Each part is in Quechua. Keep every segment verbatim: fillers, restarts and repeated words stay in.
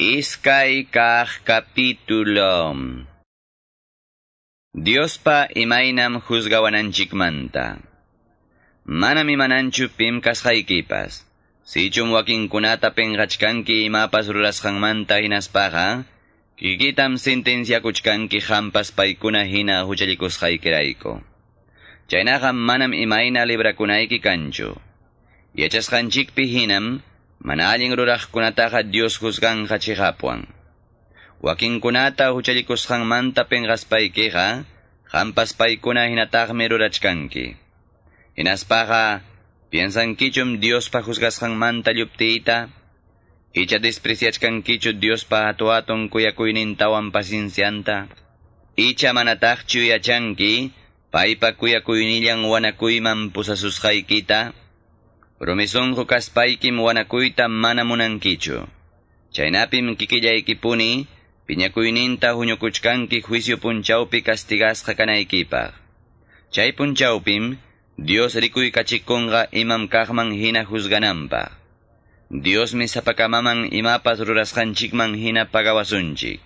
Iskay kaq capítulo. Diospa imaynam juzgawananchikmanta. Manam imananchu pim kasqaykipas. Sichum wakinkunata penqachkanki imapas rurasqanmanta hinaspaqa, kikitam sentenciakuchkanki hampas paykuna hina huchallikusqaykirayku. Chaynaqa manam imayna librakunayki kanchu. Yachasqanchikpi hinam, mana allin ruraqkunataqa Dios juzganqa chiqapwan. Wakinkunata huchallikusqanmanta penqaspaykiqa, hampas paykuna hinataqmi rurachkanki. Hinaspaqa, piensankichum Diospa juzgasqanmanta lluptiyta, icha despreciachkankichu Diospa hatu-hatun kuyakuynintawan paciencianta, icha manataqchu yachanki, paypa kuyakuynillan wanakuyman pusasusqaykita, rumi sunqu kaspaykim wanakuyta mana munankichu. Chaynapim kikillaykipuni, piñakuyninta huñukuchkanki juicio punchawpi castigasqa kanaykipaq. Chay punchawpim, Dios rikuykachikunqa imam kaqman hina juzgananpaq. Diosmi sapakamaman imapas rurasqanchikman hina pagawasunchik.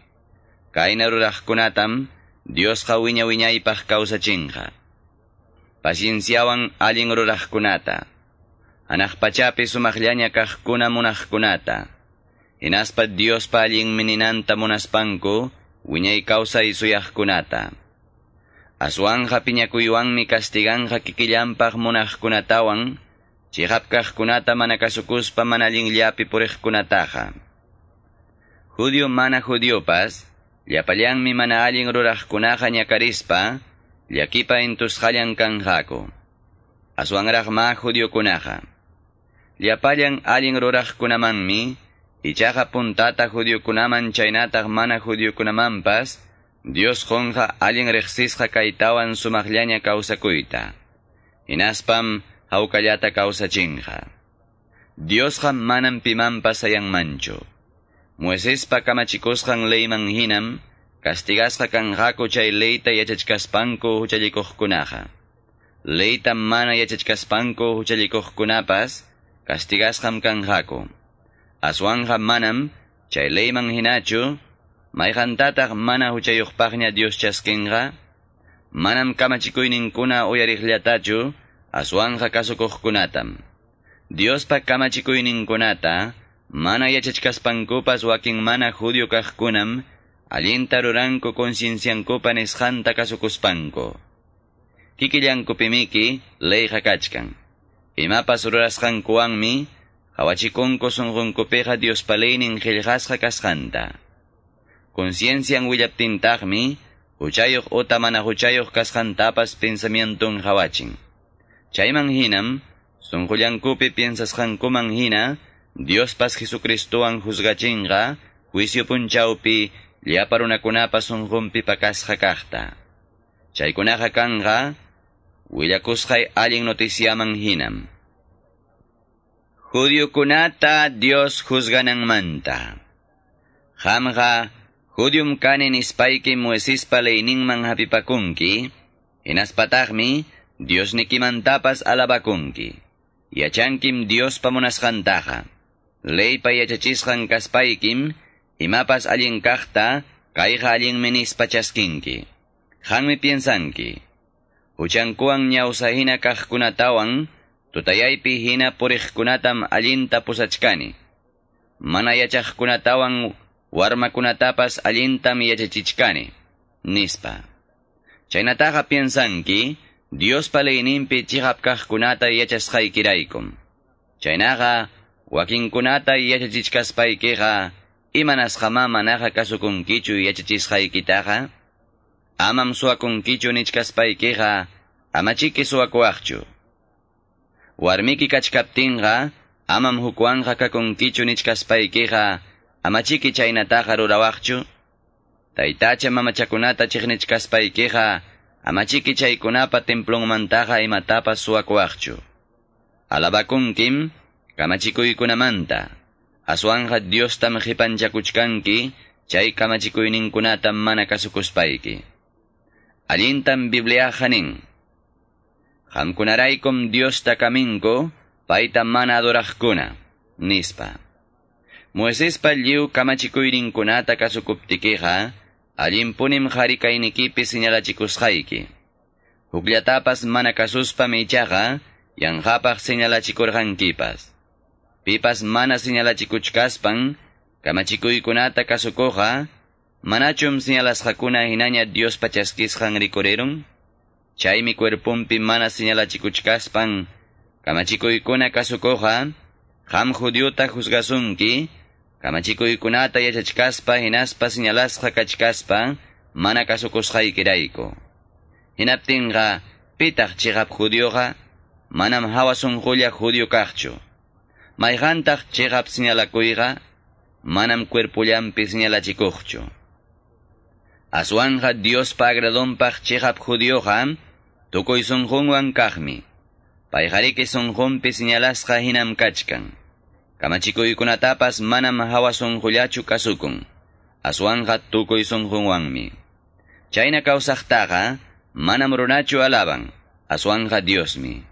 Kayna ruraqkunatam, Diosqa wiña wiñaypaq kawsachinqa. Pacienciawan allin ruraqkunata. Hanaq pachapi sumaqllaña kaqkuna munaqkunata. Hinaspa Diospa allin mininanta munaspanku, wiñay kawsay suyaqkunata. Aswanja piñakuywanmi castiganqa kikillanpaq munaqkunatawan, chiqap kaqkunata mana kasukuspa mana allinllapi puriqkunataqa. Judío mana judiopas, llapallanmi mana allin ruraqkunaqa ñakarispa, llakipa intusqallan kanqaku. Aswanraq ma judiokunaqa. Llapallan allin ruraqkunamanmi, ichaqa puntata judiokunaman chaynataq mana judiokunamanpas, Dios qunqa allin riqsisqa kaytawan sumaqllaña kawsakuyta. Hinaspam hawkallata kawsachinqa. Diosqa manam pimanpas sayanmanchu. Moisespa kamachikusqan leyman hinam, castigasqa kanqaku chay leyta yachachkaspanku huchallikuqkunaqa. Leyta mana yachachkaspanku huchallikuqkunapas, castigasqam kanqaku. Aswanja manam, chay leyman hinachu, mayqantataq mana huchayuqpaqña Dios chaskinqa, manam kamachikuyninkuna uyariqllatachu, aswanja kasukuqkunatam. Diospa kamachikuyninkunata, mana yachachkaspankupas wakin mana judío kaqkunam, allinta ruranku concienciankupa nisqanta kasukuspanku. Kikillankupimiki leyqa kachkan. Imapas rurasqankuwanmi, qawachikunku sunqunkupiqa Diospa leynin qillqasqa kasqanta. Conciencian willaptintaqmi, huchayuq uta mana huchayuq kasqantapas pensamientun qawachin. Chayman hinam, sunqullankupi piensasqankuman hina, Diospas Jesucristowan juzgachinqa, juicio punchawpi, llapa runakunapa sunqunpi pakasqa kaqta. Chaykunaqa kanqa, willakusqay allin noticiaman hinam. Judiokunata Dios juzgananmanta. Qamqa, judium kani nispayki Moisespa leyninman hapipakunki, hinaspataqmi Diosnikimantapas alabakunki. Yachankim Diospa munasqantaqa. Leypa yachachisqan kaspaykim, imapas allin kaqta, kayqa allinmi nispa chaskinki. Qanmi piensanki. Huchankuwan ñawsa hina kaqkunatawan, tutayaypi hina puriqkunatam allinta pusachkani. Mana yachaqkunatawan warmakunatapas allintam yachachichkani, nispa. Chaynataqa piensanki, Diospa leyninpi chiqap kaqkunata yachasqaykiraykum. Chaynaqa, wakinkunata yachachichkaspaykiqa, imanasqamá manaqa kasukunkichu yachachisqaykitaqa? Amam suwakunkichu nichkaspaykiqa, amachiki suwakuwaqchu. Warmiki kachkaptinqa, amam hukwanqa kakunkichu nichkaspaykiqa, amachiki chaynataqa rurawaqchu. Taytacha mamachakunata chiqnichkaspaykiqa, amachiki chaykunapa templonmantaqa imatapas suwakuwaqchu. Alabakunkim, kamachikuykunamanta, aswanja Diostam qipanchakuchkanki, chay kamachikuyninkunatam mana kasukuspayki. Allintam Bibliaqa nin. Qamkunaraykum Diosta kaminku, payta mana adoraqkuna, nispa. Moisespa lliw kamachikuyninkunata kasukuptikiqa, allinpunim qari kaynikipi señalachikusqayki. Hukllatapas mana kasuspam ichaqa, yanqapaq señalachikurqankipas. Pipas mana señalachikuchkaspan, kamachikuykunata kasukuqqa, manachum señalasqakuna hinaña Diospa chaskisqan rikurirun? Chaymi cuerpumpi mana señalachikuchkaspan, kamachikuykuna kasukuqqa, qam judiota juzgasunki, kamachikuykunata yachachkaspa hinaspa señalasqa kachkaspa, mana kasukusqaykirayku. Hinaptinqa, pitaq chiqap judioqa, manam hawa sunqulla judio kaqchu. Mayqantaq chiqap señalakuyqa, manam cuerpullampi señalachikuqchu. Aswanqa Diospa agradonpaq chiqap judioqa, tukuy sunqunwan kaqmi. Payqariki sunqunpi señalasqa hinam kachkan. Kamachikuykunatapas manam hawa sunqullachu kasukun. Aswanqa tukuy sunqunwanmi. Chayna kawsaqtaqa manam runachu alaban, aswanqa Diosmi.